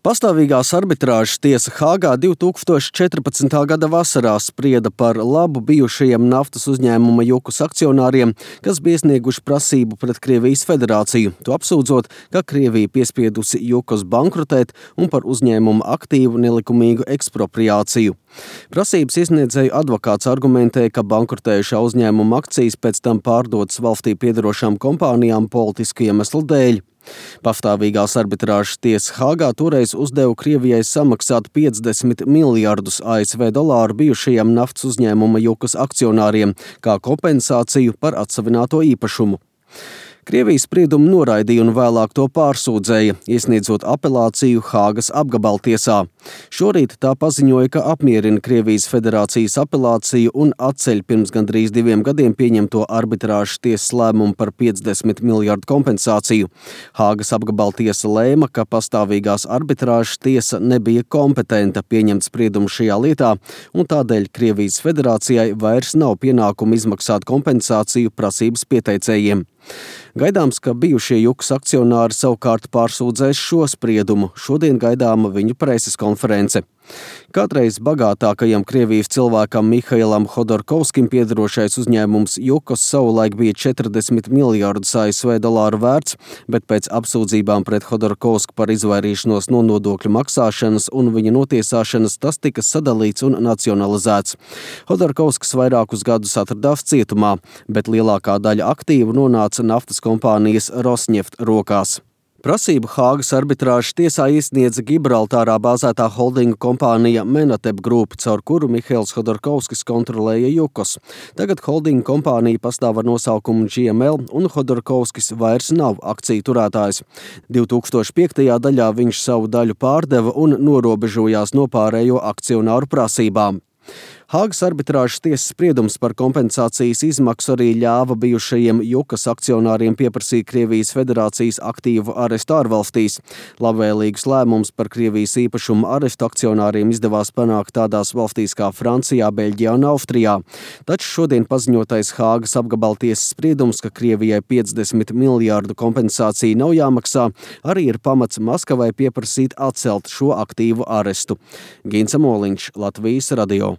Pastāvīgās arbitrāžas tiesa Hāgā 2014. gada vasarā sprieda par labu bijušajiem naftas uzņēmuma Jukas akcionāriem, kas bija iesnieguši prasību pret Krievijas federāciju, to apsūdzot, ka Krievija piespiedusi Jukas bankrotēt un par uzņēmuma aktīvu nelikumīgu ekspropriāciju. Prasības iesniedzēju advokāts argumentē, ka bankrotējušā uzņēmuma akcijas pēc tam pārdotas valstī piederošām kompānijām politisku iemeslu dēļ. Pastāvīgās arbitrāžas tiesa Hāgā toreiz uzdeva Krievijai samaksāt 50 miljardus ASV dolāru bijušajiem naftas uzņēmuma Jukas akcionāriem kā kompensāciju par atsavināto īpašumu. Krievijas spriedumu noraidīja un vēlāk to pārsūdzēja, iesniedzot apelāciju Hāgas apgabaltiesā. Šorīt tā paziņoja, ka apmierina Krievijas federācijas apelāciju un atceļ pirms gandrīz 2 gadiem pieņemto arbitrāžas tiesas lēmumu par 50 miljardu kompensāciju. Hāgas apgabaltiesa lēma, ka pastāvīgās arbitrāžas tiesa nebija kompetenta pieņemt spriedumu šajā lietā, un tādēļ Krievijas federācijai vairs nav pienākumu izmaksāt kompensāciju prasības pieteicējiem. Gaidāms, ka bijušie Jukas akcionāri savukārt pārsūdzēs šo spriedumu. Šodien gaidāma viņu preses konference. Kādreiz bagātākajam Krievijas cilvēkam Mihailam Hodorkovskim piederošais uzņēmums Jukas savulaik bija 40 miljardus ASV dolāru vērts, bet pēc apsūdzībām pret Hodorkovsku par izvairīšanos no nodokļu maksāšanas un viņa notiesāšanas tas tika sadalīts un nacionalizēts. Hodorkovskis vairākus gadus atradās cietumā, bet lielākā daļa aktīvu nonāca naftas kompānijas Rosneft rokās. Prasību Hāgas arbitrāžas tiesā iesniedza Gibraltārā bāzētā holdinga kompānija Menatep Group, caur kuru Mihails Hodorkovskis kontrolēja Jukas. Tagad holdinga kompānija pastāv ar nosaukumu GML un Hodorkovskis vairs nav akciju turētājs. 2005. gadā viņš savu daļu pārdeva un norobežojās no pārējo akcionāru prasībām. Hāgas arbitrāžas tiesas spriedums par kompensācijas izmaksu arī ļāva bijušajiem Jukas akcionāriem pieprasīt Krievijas federācijas aktīvu arestu ārvalstīs. Labvēlīgus lēmumus par Krievijas īpašumu arestu akcionāriem izdevās panākt tādās valstīs kā Francijā, Beļģijā un Austrijā. Taču šodien paziņotais Hāgas apgabaltiesas spriedums, ka Krievijai 50 miljārdu kompensācija nav jāmaksā, arī ir pamats Maskavai pieprasīt atcelt šo aktīvu arestu. Gints Moliņš, Latvijas radio.